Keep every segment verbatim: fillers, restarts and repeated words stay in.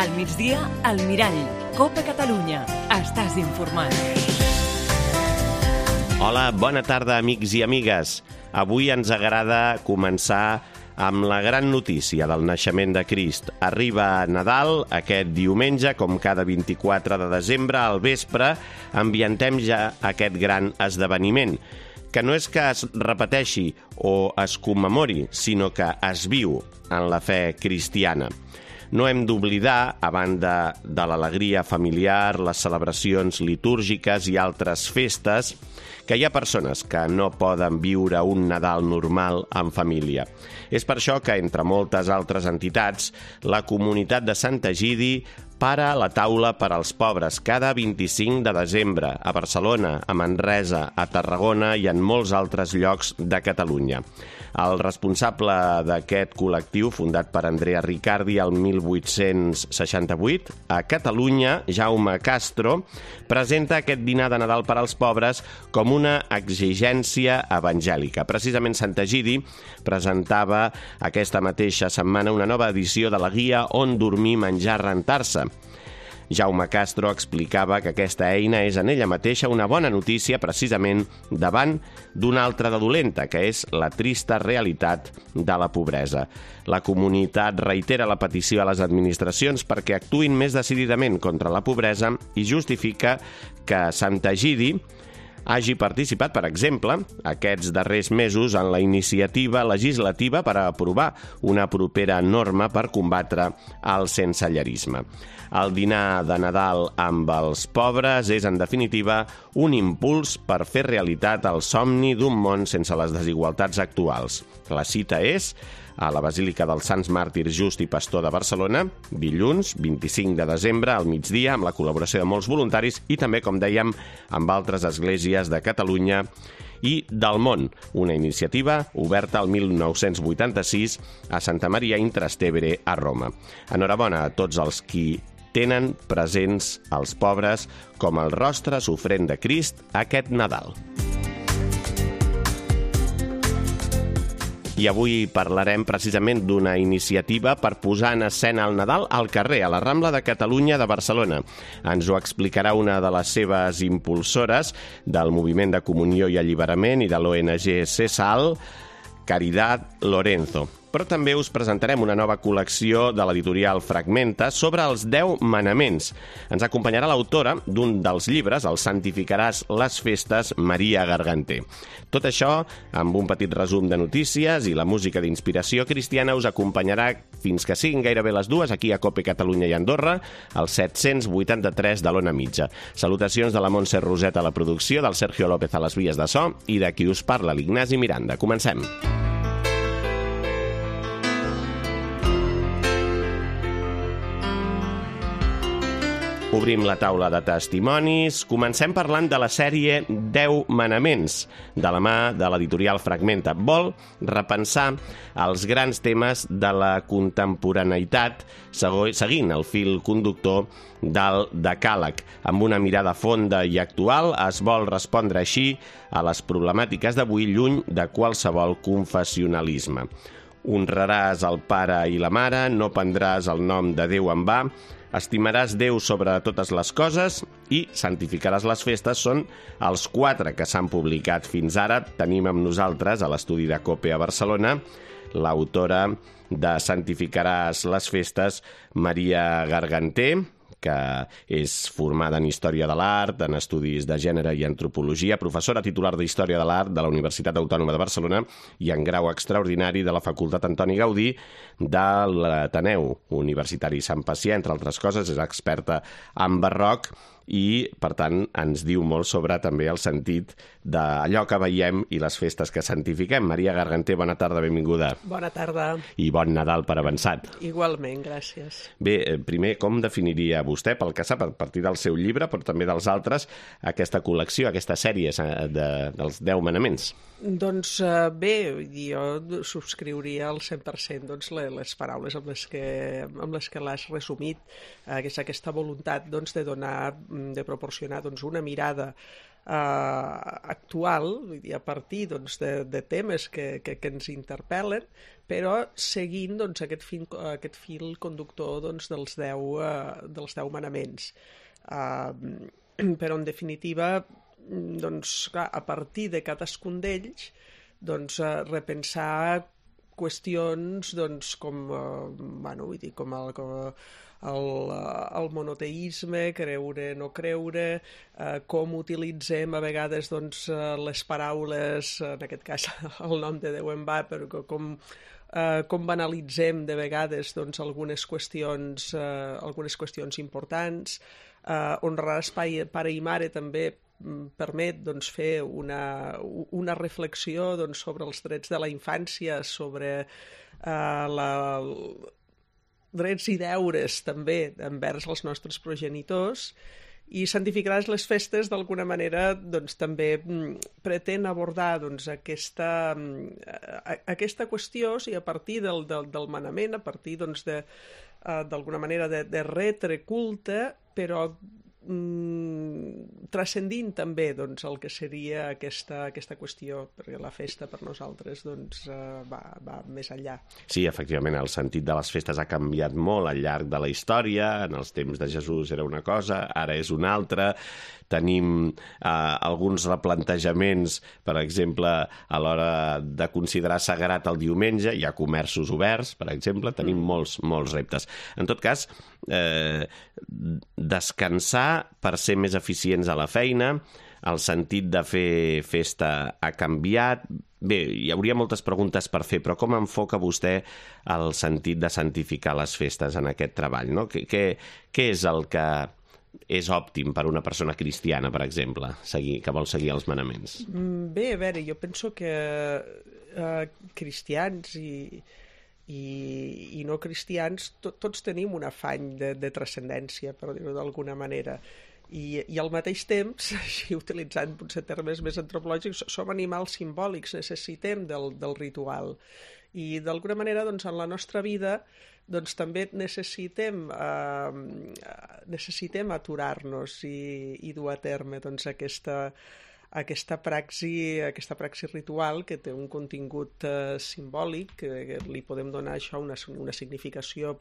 Al migdia, al Mirall. Copa Catalunya. Estàs informat. Hola, bona tarda, amics i amigues. Avui ens agrada començar amb la gran notícia del naixement de Crist. Arriba Nadal aquest diumenge, com cada vint-i-quatre de desembre, al vespre, ambientem ja aquest gran esdeveniment, que no és que es repeteixi o es commemori, sinó que es viu en la fe cristiana. No hem d'oblidar, a banda de l'alegria familiar, les celebracions litúrgiques i altres festes, que hi ha persones que no poden viure un Nadal normal en família. És per això que, entre moltes altres entitats, la comunitat de Sant Egidi para la taula per als pobres cada vint-i-cinc de desembre a Barcelona, a Manresa, a Tarragona i en molts altres llocs de Catalunya. El responsable d'aquest col·lectiu, fundat per Andrea Riccardi el mil vuit-cents seixanta-vuit, a Catalunya, Jaume Castro, presenta aquest dinar de Nadal per als pobres com una exigència evangèlica. Precisament Sant Egidi presentava aquesta mateixa setmana una nova edició de la guia On dormir, menjar, rentar-se. Jaume Castro explicava que aquesta eina és en ella mateixa una bona notícia precisament davant d'una altra de dolenta, que és la trista realitat de la pobresa. La comunitat reitera la petició a les administracions perquè actuïn més decididament contra la pobresa i justifica que Sant Egidi hagi participat, per exemple, aquests darrers mesos en la iniciativa legislativa per aprovar una propera norma per combatre el sensellarisme. El dinar de Nadal amb els pobres és, en definitiva, un impuls per fer realitat el somni d'un món sense les desigualtats actuals. La cita és a la Basílica dels Sants Màrtirs Just i Pastor de Barcelona, dilluns vint-i-cinc de desembre al migdia, amb la col·laboració de molts voluntaris i també, com dèiem, amb altres esglésies de Catalunya i del món. Una iniciativa oberta el mil nou-cents vuitanta-sis a Santa Maria in Trastevere a Roma. Enhorabona a tots els qui tenen presents els pobres com el rostre sofrent de Crist aquest Nadal. I avui parlarem precisament d'una iniciativa per posar en escena el Nadal al carrer, a la Rambla de Catalunya de Barcelona. Ens ho explicarà una de les seves impulsores del Moviment de Comunió i Alliberament i de l'O N G CESAL, Caridad Lorenzo. Però també us presentarem una nova col·lecció de l'editorial Fragmenta sobre els deu manaments. Ens acompanyarà l'autora d'un dels llibres, el Santificaràs les festes, Maria Garganté. Tot això amb un petit resum de notícies i la música d'inspiració cristiana us acompanyarà fins que siguin gairebé les dues aquí a Cope Catalunya i Andorra, al set-cents vuitanta-tres de l'Ona Mitja. Salutacions de la Montse Roset a la producció, del Sergio López a les vies de so i de qui us parla, l'Ignasi Miranda. Comencem. Obrim la taula de testimonis. Comencem parlant de la sèrie deu manaments, de la mà de l'editorial Fragmenta. Vol repensar els grans temes de la contemporaneïtat seguint el fil conductor del decàleg. Amb una mirada fonda i actual es vol respondre així a les problemàtiques d'avui lluny de qualsevol confessionalisme. Honraràs el pare i la mare, no prendràs el nom de Déu en va, estimaràs Déu sobre totes les coses i santificaràs les festes són els quatre que s'han publicat fins ara. Tenim amb nosaltres a l'estudi de COPE a Barcelona l'autora de Santificaràs les festes, Maria Garganté, que és formada en Història de l'Art, en Estudis de Gènere i Antropologia, professora titular d'Història de l'Art de la Universitat Autònoma de Barcelona i en grau extraordinari de la Facultat Antoni Gaudí de l'Ateneu Universitari Sant Pacià, entre altres coses, és experta en barroc i, per tant, ens diu molt sobre també el sentit d'allò que veiem i les festes que santifiquem. Maria Garganté, bona tarda, benvinguda. Bona tarda. I bon Nadal per avançat. Igualment, gràcies. Bé, primer, com definiria vostè, pel que sap, a partir del seu llibre, però també dels altres, aquesta col·lecció, aquesta sèrie de, dels deu manaments? Doncs bé, jo subscriuria al cent per cent doncs, les paraules amb les que, amb les que l'has resumit, eh, que és aquesta voluntat doncs, de donar, de proporcionar doncs, una mirada actual, vull dir, a partir doncs, de, de temes que, que, que ens interpel·len, però seguint doncs, aquest, fil, aquest fil conductor doncs, dels, deu, uh, dels deu manaments. Uh, però, en definitiva, doncs, clar, a partir de cadascun d'ells, doncs, uh, repensar qüestions doncs, com, uh, bueno, vull dir, com el, com el, el monoteisme, creure, no creure, uh, com utilitzem a vegades doncs, uh, les paraules, en aquest cas el nom de Déu en va, però com, uh, com banalitzem de vegades doncs, algunes, qüestions, uh, algunes qüestions importants. Uh, honrar espai pare i mare també permet doncs, fer una, una reflexió doncs, sobre els drets de la infància, sobre uh, la, drets i deures també envers els nostres progenitors, i santificaràs les festes d'alguna manera doncs, també pretén abordar doncs, aquesta, aquesta qüestió, i a partir del, del, del manament, a partir doncs, de, uh, d'alguna manera de, de retre culte, però mm, transcendint també doncs, el que seria aquesta, aquesta qüestió, perquè la festa per nosaltres doncs, uh, va, va més enllà. Sí, efectivament, el sentit de les festes ha canviat molt al llarg de la història. En els temps de Jesús era una cosa, ara és una altra. Tenim eh, alguns replantejaments, per exemple, a l'hora de considerar sagrat el diumenge. Hi ha comerços oberts, per exemple, tenim mm. molts, molts reptes. En tot cas, eh, descansar per ser més eficients a la feina, el sentit de fer festa ha canviat. Bé, hi hauria moltes preguntes per fer, però com enfoca vostè el sentit de santificar les festes en aquest treball? No? Què, què, què és el que és òptim per una persona cristiana, per exemple, seguir, que vol seguir els manaments? Bé, a veure, jo penso que eh, cristians i, i, i no cristians to, tots tenim un afany de, de transcendència, per dir-ho d'alguna manera. I, i al mateix temps, així utilitzant potser termes més antropològics, som animals simbòlics, necessitem del, del ritual. I d'alguna manera, doncs, en la nostra vida doncs, també necessitem, eh, necessitem aturar-nos i, i dur a terme doncs, aquesta, aquesta, praxi, aquesta praxi ritual que té un contingut eh, simbòlic, que li podem donar això una, una significació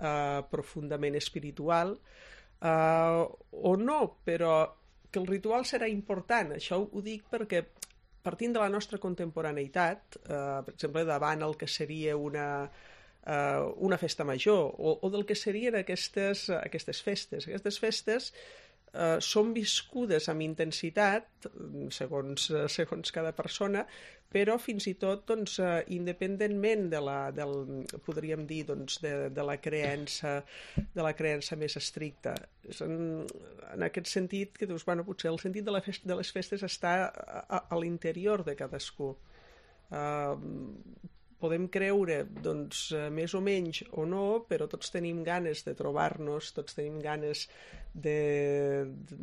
eh, profundament espiritual, Uh, o no, però que el ritual serà important. Això ho dic perquè partint de la nostra contemporaneïtat, uh, per exemple, davant el que seria una, uh, una festa major o, o del que serien aquestes, aquestes festes. Aquestes festes uh, són viscudes amb intensitat, segons, segons cada persona, però fins i tot doncs, uh, independentment de la, del, podríem dir, doncs, de, de, la creença, de la creença més estricta. En, en aquest sentit, que doncs, bueno, potser el sentit de, la festa, de les festes està a, a, a l'interior de cadascú. Uh, podem creure doncs, més o menys o no, però tots tenim ganes de trobar-nos, tots tenim ganes de, de,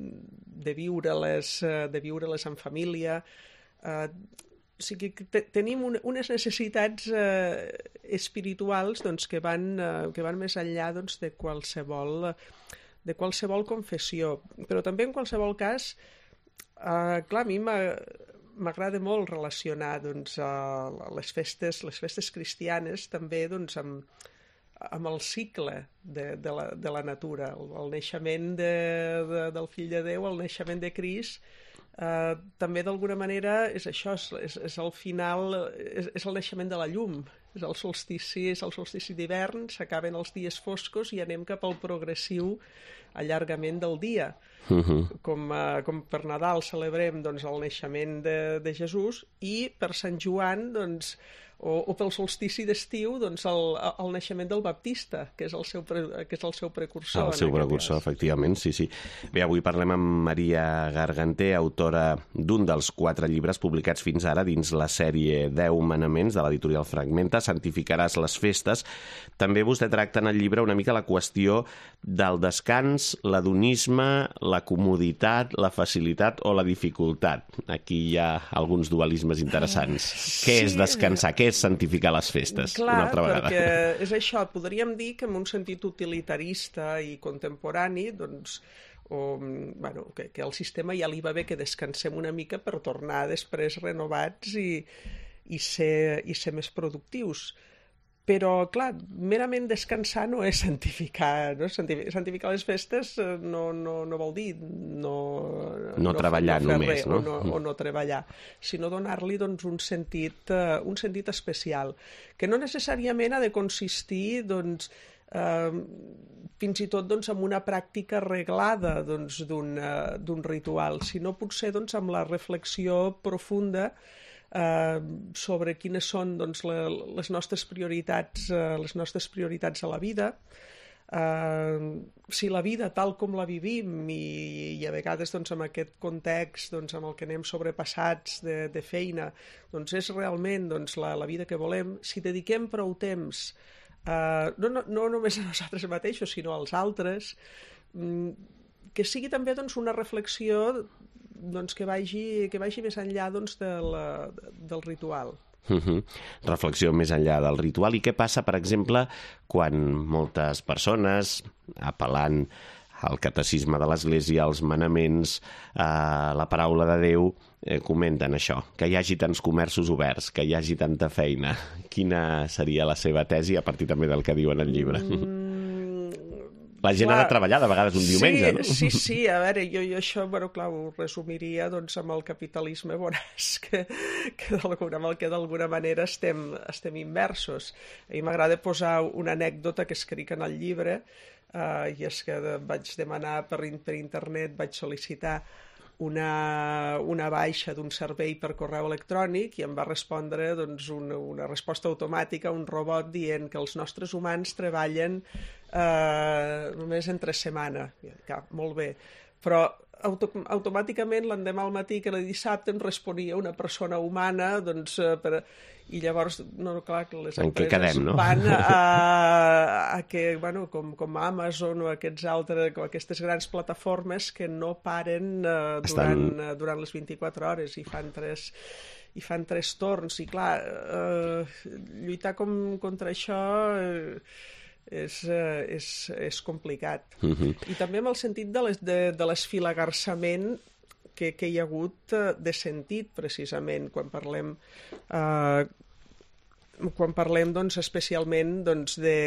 de viure-les, de viure-les en família. Uh, O sigui, te, tenim un, unes necessitats eh, espirituals doncs, que, van, eh, que van més enllà doncs, de, qualsevol, de qualsevol confessió. Però també en qualsevol cas, eh, clar, a mi m'agrada molt relacionar doncs, eh, les, festes, les festes cristianes també doncs, amb, amb el cicle de, de, la, de la natura, el, el naixement de, de, del Fill de Déu, el naixement de Crist. Uh, també d'alguna manera és això, és, és el final, és, és el naixement de la llum, és el solstici, és el solstici d'hivern, s'acaben els dies foscos i anem cap al progressiu allargament del dia. Uh-huh. Com, uh, com per Nadal celebrem doncs, el naixement de, de Jesús i per Sant Joan doncs, o, o pel solstici d'estiu doncs, el, el naixement del Baptista, que és el seu, pre, que és el seu precursor. El seu precursor, cas. Efectivament, sí, sí. Bé, avui parlem amb Maria Garganter, autora d'un dels quatre llibres publicats fins ara dins la sèrie deu manaments de l'editorial Fragmenta, Santificaràs les festes. També vostè tracta en el llibre una mica la qüestió del descans, l'hedonisme, la comoditat, la facilitat o la dificultat. Aquí hi ha alguns dualismes interessants. Sí. Què és descansar? Què és santificar les festes? Clar, una altra vegada. Perquè és això, podríem dir que en un sentit utilitarista i contemporani, doncs, o bueno, que, que el sistema ja li va bé que descansem una mica per tornar després renovats i, i, ser, i ser més productius. Però, clar, merament descansar no és santificar, no? Santificar les festes no, no, no vol dir no, no, no treballar no només, res, no? O, no, o no treballar, sinó donar-li doncs, un, sentit, uh, un sentit especial, que no necessàriament ha de consistir doncs, uh, fins i tot doncs, en una pràctica reglada doncs, d'un uh, ritual, sinó potser doncs, amb la reflexió profunda Uh, sobre quines són doncs, la, les nostres prioritats uh, les nostres prioritats a la vida, uh, si la vida tal com la vivim i, i a vegades doncs, en aquest context doncs, amb el que anem sobrepassats de, de feina doncs, és realment doncs, la, la vida que volem, si dediquem prou temps uh, no, no, no només a nosaltres mateixos sinó als altres, um, que sigui també doncs, una reflexió doncs, que, vagi, que vagi més enllà doncs, del, del ritual. Uh-huh. Reflexió més enllà del ritual. I què passa, per exemple, quan moltes persones, apel·lant al catecisme de l'Església, als manaments, a la paraula de Déu, eh, comenten això, que hi hagi tants comerços oberts, que hi hagi tanta feina? Quina seria la seva tesi a partir també del que diu en el llibre? Mm. La gent clar, ha de treballar de vegades un diumenge, sí, no? Sí, sí, a veure, jo, jo això, bueno, clar, ho resumiria doncs, amb el capitalisme voraç que, que d'alguna que d'alguna manera estem, estem immersos. A mi m'agrada posar una anècdota que escric en el llibre, eh, i és que de, vaig demanar per, per internet, vaig sol·licitar una, una baixa d'un servei per correu electrònic i em va respondre doncs, una, una resposta automàtica, un robot dient que els nostres humans treballen eh, només entre setmana. Ja, molt bé. Però auto, automàticament l'endemà al matí que el dissabte em responia una persona humana doncs, eh, per, i llavors, no, clar, que les empreses quedem, no? van a, a que, bueno, com, com Amazon o aquests altres, o aquestes grans plataformes que no paren eh, durant, Estan... durant les vint-i-quatre hores i fan tres, i fan tres torns. I clar, eh, lluitar com, contra això eh, és, eh, és, és complicat. Uh-huh. I també amb el sentit de, les, de, de l'esfilagarçament que, que hi ha hagut de sentit, precisament, quan parlem eh, quan parlem doncs, especialment doncs, de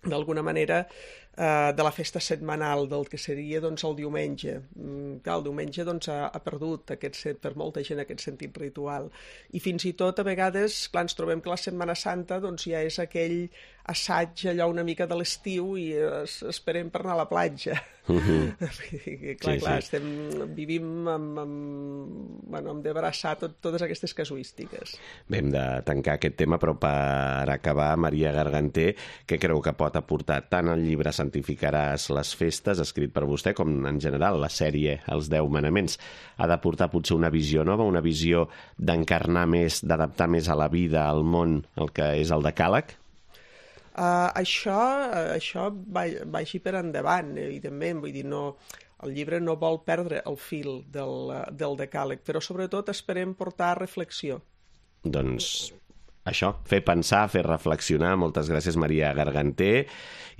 d'alguna manera eh, de la festa setmanal del que seria doncs, el diumenge. Mm, clar, el diumenge doncs, ha, ha perdut aquest, per molta gent aquest sentit ritual i fins i tot a vegades clar, ens trobem que la Setmana Santa doncs, ja és aquell assaig allò una mica de l'estiu i es, esperem per anar a la platja. Uh-huh. clar, sí, clar, sí. Estem, vivim amb, amb, bueno, amb d'abraçar tot, totes aquestes casuístiques. Bé, hem de tancar aquest tema, però per acabar, Maria Garganter, què creu que pot aportar tant el llibre Santificaràs les festes, escrit per vostè, com en general la sèrie Els deu manaments? Ha d'aportar potser una visió nova, una visió d'encarnar més, d'adaptar més a la vida, al món, el que és el decàleg? Uh, això, això vagi per endavant, evidentment, vull dir, no, el llibre no vol perdre el fil del, del decàleg, però sobretot esperem portar reflexió. Doncs això, fer pensar, fer reflexionar. Moltes gràcies, Maria Garganter,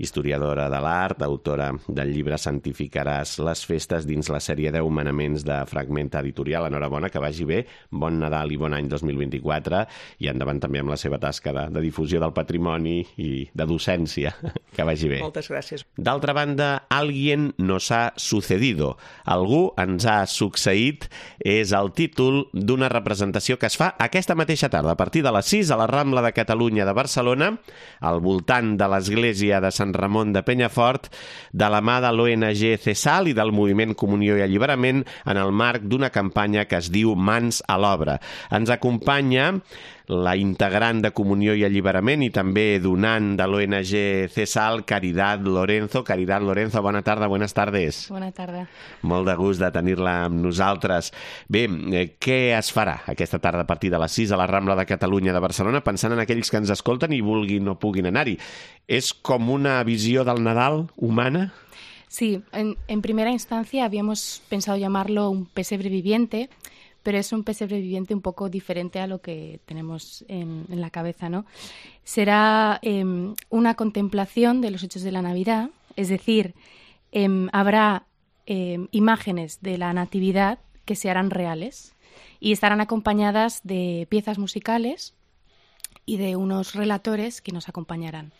historiadora de l'art, autora del llibre Santificaràs les festes dins la sèrie deu manaments de Fragmenta Editorial. Enhorabona, que vagi bé, bon Nadal i bon any dos mil vint-i-quatre i endavant també amb la seva tasca de, de difusió del patrimoni i de docència. Que vagi bé. Moltes gràcies. D'altra banda, Alguien nos ha sucedido. Algú ens ha succeït és el títol d'una representació que es fa aquesta mateixa tarda, a partir de les sis a la Rambla de Catalunya de Barcelona, al voltant de l'església de Sant Ramon de Penyafort, de la mà de l'O N G CESAL i del Moviment Comunió i Alliberament en el marc d'una campanya que es diu Mans a l'Obra. Ens acompanya la integrant de Comunió i Alliberament i també donant de l'O N G CESAL, Caridad Lorenzo. Caridad Lorenzo, bona tarda, buenas tardes. Bona tarda. Molt de gust de tenir-la amb nosaltres. Bé, eh, què es farà aquesta tarda a partir de les sis a la Rambla de Catalunya de Barcelona, pensant en aquells que ens escolten i vulguin o puguin anar-hi? És com una visió del Nadal humana? Sí, en, en primera instancia habíamos pensado llamarlo un pesebre viviente, pero es un pesebre viviente un poco diferente a lo que tenemos en, en la cabeza, ¿no? Será eh, una contemplación de los hechos de la Navidad, es decir, eh, habrá eh, imágenes de la Natividad que se harán reales y estarán acompañadas de piezas musicales y de unos relatores que nos acompañarán.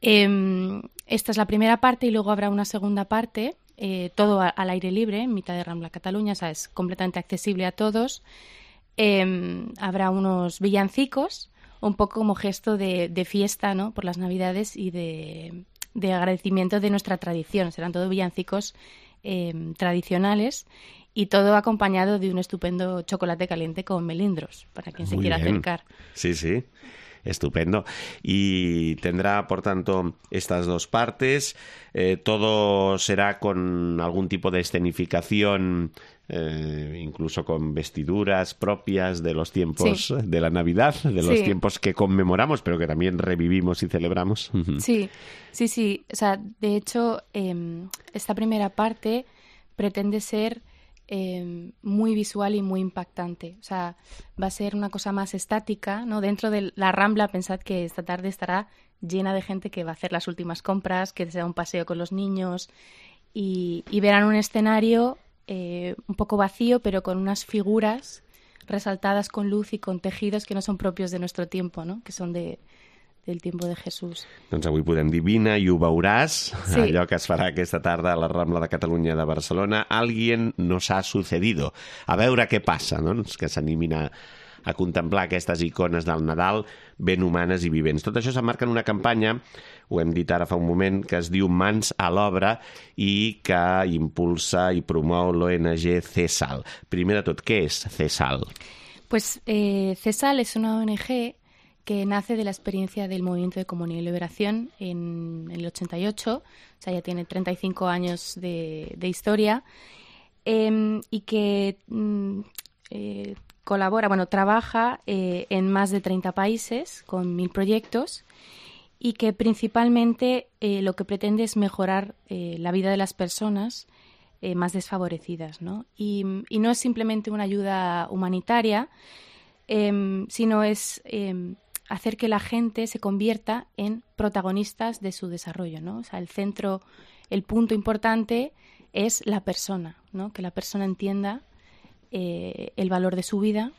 Eh, esta es la primera parte y luego habrá una segunda parte, eh, todo a, al aire libre, en mitad de Rambla Cataluña, o sea, es completamente accesible a todos. Eh, habrá unos villancicos, un poco como gesto de, de fiesta, ¿no?, por las Navidades y de, de agradecimiento de nuestra tradición. Serán todos villancicos eh, tradicionales y todo acompañado de un estupendo chocolate caliente con melindros, para quien se Muy quiera bien. acercar. Sí, sí. Estupendo. Y tendrá, por tanto, estas dos partes. Eh, todo será con algún tipo de escenificación, eh, incluso con vestiduras propias de los tiempos Sí. de la Navidad, de los Sí. tiempos que conmemoramos, pero que también revivimos y celebramos. Sí, sí, sí. O sea, de hecho, eh, esta primera parte pretende ser eh, muy visual y muy impactante. O sea, va a ser una cosa más estática, ¿no? Dentro de la Rambla, pensad que esta tarde estará llena de gente que va a hacer las últimas compras, que se da un paseo con los niños y, y verán un escenario eh, un poco vacío, pero con unas figuras resaltadas con luz y con tejidos que no son propios de nuestro tiempo, ¿no?, que son de del tiempo de Jesús. Doncs avui podem dir vine i ho veuràs, Sí. allò que es farà aquesta tarda a la Rambla de Catalunya de Barcelona. Alguien nos ha sucedido. A veure què passa, no? Que s'animin a, a contemplar aquestes icones del Nadal ben humanes i vivents. Tot això s'emmarca en una campanya, ho hem dit ara fa un moment, que es diu Mans a l'Obra i que impulsa i promou l'O N G CESAL. Primer de tot, què és CESAL? Pues eh, CESAL es una O N G que nace de la experiencia del Movimiento de Comunión y Liberación en, en el ochenta y ocho, o sea, ya tiene treinta y cinco años de, de historia, eh, y que mm, eh, colabora, bueno, trabaja eh, en más de treinta países con mil proyectos y que principalmente eh, lo que pretende es mejorar eh, la vida de las personas eh, más desfavorecidas, ¿no? Y, y no es simplemente una ayuda humanitaria, eh, sino es eh, hacer que la gente se convierta en protagonistas de su desarrollo, ¿no? O sea, el centro, el punto importante es la persona, ¿no? Que la persona entienda eh, el valor de su vida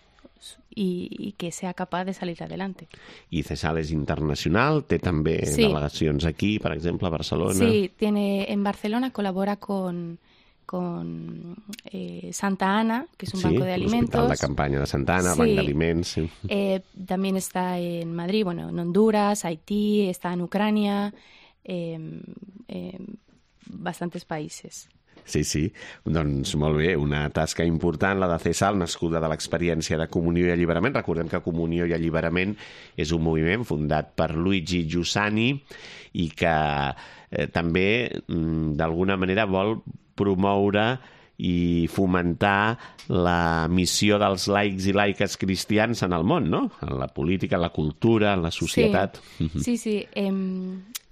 y, y que sea capaz de salir adelante. I CESAL és internacional, té també Sí. delegacions aquí, per exemple, a Barcelona. Sí, tiene en Barcelona, colabora con, con eh, Santa Ana, que es un Sí, banco de alimentos. l'Hospital de Campanya de Santa Ana, Sí. Banc d'Aliments. Sí. Eh, también está en Madrid, bueno, en Honduras, Haití, está en Ucrania, eh, eh, bastantes países. Sí, sí. Doncs molt bé, una tasca important, la de CESAL, nascuda de l'experiència de Comunió i Alliberament. Recordem que Comunió i Alliberament és un moviment fundat per Luigi Giussani i que eh, també, mm, d'alguna manera, vol promoure i fomentar la missió dels laics i laiques cristians en el món, no? En la política, en la cultura, en la societat. Sí, sí. sí. Eh,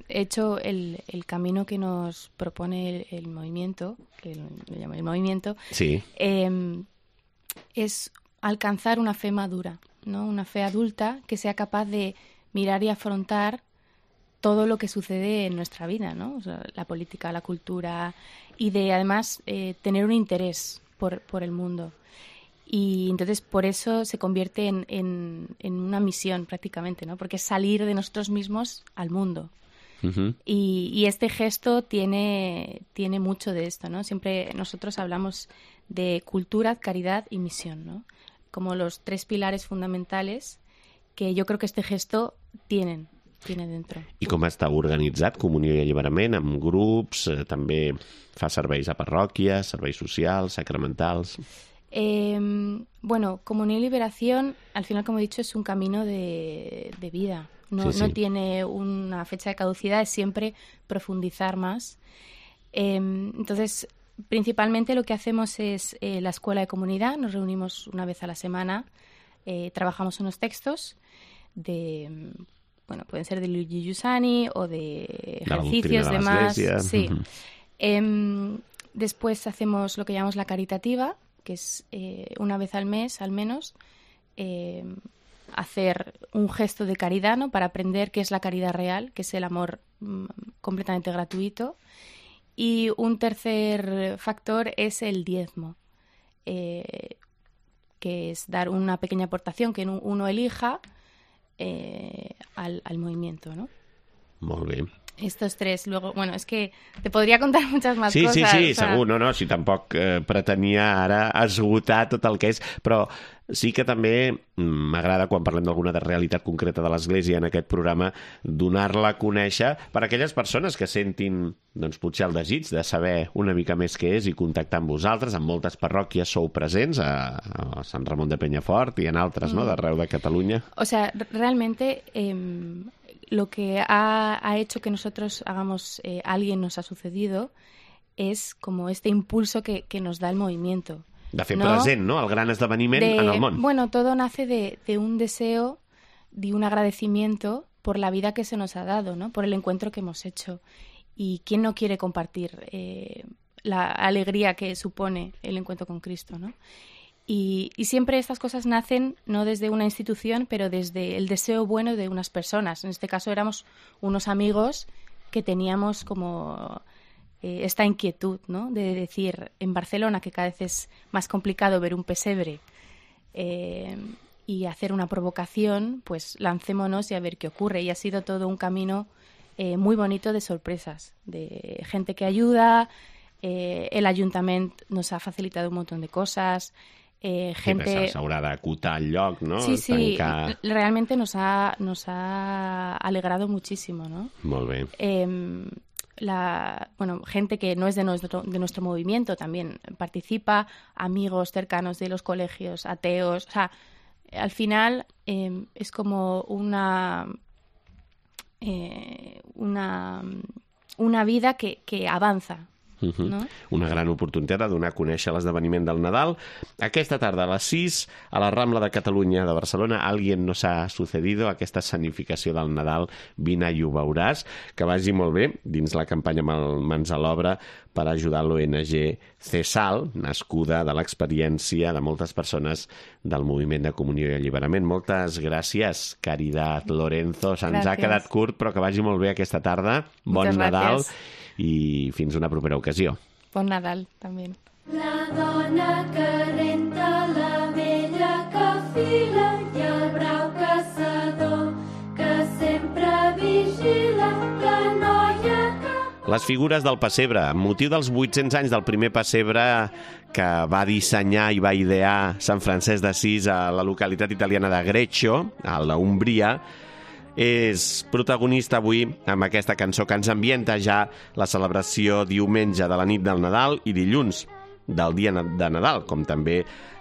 de hecho, el, el camino que nos propone el, el movimiento, que lo llama el movimiento, Sí. eh, es alcanzar una fe madura, ¿no? Una fe adulta que sea capaz de mirar y afrontar todo lo que sucede en nuestra vida, ¿no? O sea, la política, la cultura, y de además eh, tener un interés por, por el mundo. Y entonces por eso se convierte en, en, en una misión prácticamente, ¿no? Porque es salir de nosotros mismos al mundo. Uh-huh. Y, y este gesto tiene, tiene mucho de esto, ¿no? Siempre nosotros hablamos de cultura, caridad y misión, ¿no? Como los tres pilares fundamentales que yo creo que este gesto tienen, tiene dentro. I com està organitzat Comunió i Alliberament? Amb grups, eh, també fa serveis a parròquies, serveis socials, sacramentals... Eh, bueno, Comunión y Liberación, al final, como he dicho, es un camino de, de vida. No, Sí, sí. no tiene una fecha de caducidad, es siempre profundizar más. Eh, entonces, principalmente lo que hacemos es eh, la escuela de comunidad. Nos reunimos una vez a la semana, eh, trabajamos unos textos de, bueno, pueden ser de Luigi Giussani o de la ejercicios, doctrina de demás. l'Església. Sí. Ujú. Em, después hacemos lo que llamamos la caritativa, que es eh, una vez al mes, al menos, eh, hacer un gesto de caridad, ¿no? Para aprender qué es la caridad real, que es el amor mm, completamente gratuito. Y un tercer factor es el diezmo, eh, que es dar una pequeña aportación que uno elija eh, al, al movimiento, ¿no? Molt bé. Estos tres, luego, bueno, es que te podria contar muchas más sí, cosas. Sí, sí, o sea... segur, no, no, si tampoc eh, pretenia ara esgotar tot el que és, però sí que també m'agrada, quan parlem d'alguna de realitat concreta de l'Església en aquest programa, donar-la a conèixer per a aquelles persones que sentin, doncs, potser el desig de saber una mica més què és i contactar amb vosaltres. En moltes parròquies sou presents, a, a Sant Ramon de Penyafort i en altres, mm. no?, d'arreu de Catalunya. O sea, realmente... Eh... Lo que ha, ha hecho que nosotros hagamos eh, Alguien nos ha sucedido es como este impulso que, que nos da el movimiento. De fer ¿no? present, ¿no?, el gran esdeveniment de, en el món. Bueno, todo nace de, de un deseo, de un agradecimiento por la vida que se nos ha dado, ¿no?, por el encuentro que hemos hecho. ¿Y quién no quiere compartir eh, la alegría que supone el encuentro con Cristo, ¿no? Y, y siempre estas cosas nacen no desde una institución, pero desde el deseo bueno de unas personas. En este caso éramos unos amigos que teníamos como eh, esta inquietud, ¿no?, de decir, en Barcelona, que cada vez es más complicado ver un pesebre eh, y hacer una provocación, pues lancémonos y a ver qué ocurre. Y ha sido todo un camino eh, muy bonito de sorpresas, de gente que ayuda, eh, el ayuntamiento nos ha facilitado un montón de cosas. Eh, gente... Sí, s'haurà d'acotar el lloc, ¿no? Sí, sí, Tancar... realmente nos ha, nos ha alegrado muchísimo, ¿no? Molt bé. Eh, la, bueno, gente que no es de nuestro, de nuestro movimiento también participa, amigos cercanos de los colegios, ateos, o sea, al final eh, es como una, eh, una, una vida que, que avanza. Uh-huh. No? Una gran oportunitat de donar a conèixer l'esdeveniment del Nadal. Aquesta tarda a les sis, a la Rambla de Catalunya de Barcelona, Alguien nos ha sucedido, aquesta escenificació del Nadal, vine i ho veuràs. Que vagi molt bé dins la campanya Mans a l'Obra per ajudar l'O N G CESAL, nascuda de l'experiència de moltes persones del moviment de comunió i alliberament. Moltes gràcies, Caridad Lorenzo. Se'ns ha quedat curt, però que vagi molt bé aquesta tarda. Bon Moltes Nadal. Gràcies. I fins una propera ocasió. Bon Nadal, també. La dona que renta, la vella que fila i el brau caçador que sempre vigila, la noia que... Les figures del pessebre, amb motiu dels vuit-cents anys del primer pessebre que va dissenyar i va idear Sant Francesc d'Assís a la localitat italiana de Greccio, a la Umbria, és protagonista avui amb aquesta cançó que ens ambienta ja la celebració diumenge de la nit del Nadal i dilluns del dia de Nadal, com també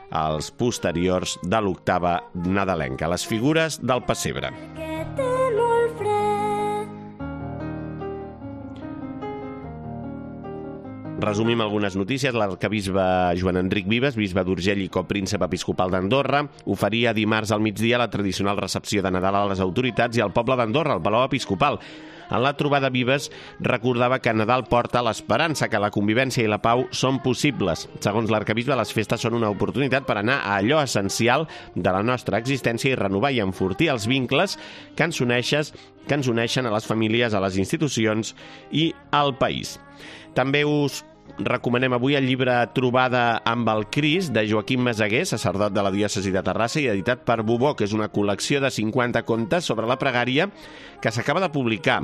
els posteriors de l'octava nadalenca, les figures del pessebre. que té molt fred. Resumim algunes notícies. L'arcabisbe Joan Enric Vives, bisbe d'Urgell i copríncep episcopal d'Andorra, oferia dimarts al migdia la tradicional recepció de Nadal a les autoritats i al poble d'Andorra, al Palau Episcopal. En la trobada, Vives recordava que Nadal porta l'esperança, que la convivència i la pau són possibles. Segons l'arcabisbe, les festes són una oportunitat per anar a allò essencial de la nostra existència i renovar i enfortir els vincles que ens uneixen, que ens uneixen a les famílies, a les institucions i al país. També us recomanem avui el llibre Trobada amb el Crist, de Joaquim Meseguer, sacerdot de la diòcesi de Terrassa i editat per Bubó, que és una col·lecció de cinquanta contes sobre la pregària que s'acaba de publicar.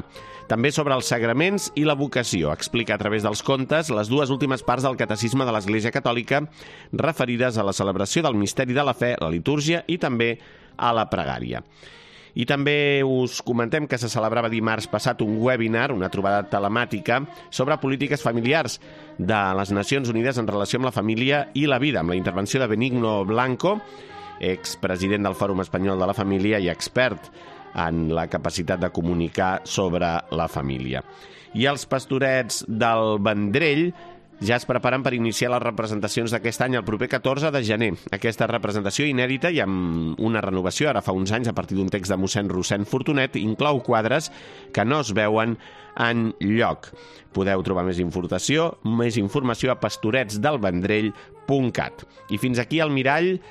També sobre els sagraments i la vocació. Explica a través dels contes les dues últimes parts del catecisme de l'Església Catòlica referides a la celebració del misteri de la fe, la litúrgia i també a la pregària. I també us comentem que se celebrava dimarts passat un webinar, una trobada telemàtica, sobre polítiques familiars de les Nacions Unides en relació amb la família i la vida, amb la intervenció de Benigno Blanco, expresident del Fòrum Espanyol de la Família i expert en la capacitat de comunicar sobre la família. I els pastorets del Vendrell ja es preparen per iniciar les representacions d'aquest any el proper catorze de gener. Aquesta representació inèdita i amb una renovació ara fa uns anys a partir d'un text de mossèn Rossèn Fortunet inclou quadres que no es veuen en lloc. Podeu trobar més informació, més informació a pastoretsdelvendrell punt cat. I fins aquí el mirall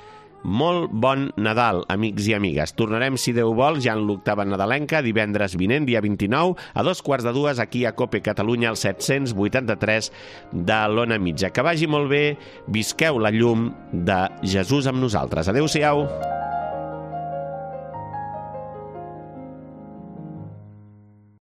molt bon Nadal, amics i amigues. Tornarem, si Déu vol, ja en l'octava nadalenca, divendres vinent, dia vint-i-nou, a dos quarts de dues, aquí a Cope Catalunya, al set-cents vuitanta-tres de l'Ona Mitja. Que vagi molt bé, visqueu la llum de Jesús amb nosaltres. Adéu-siau.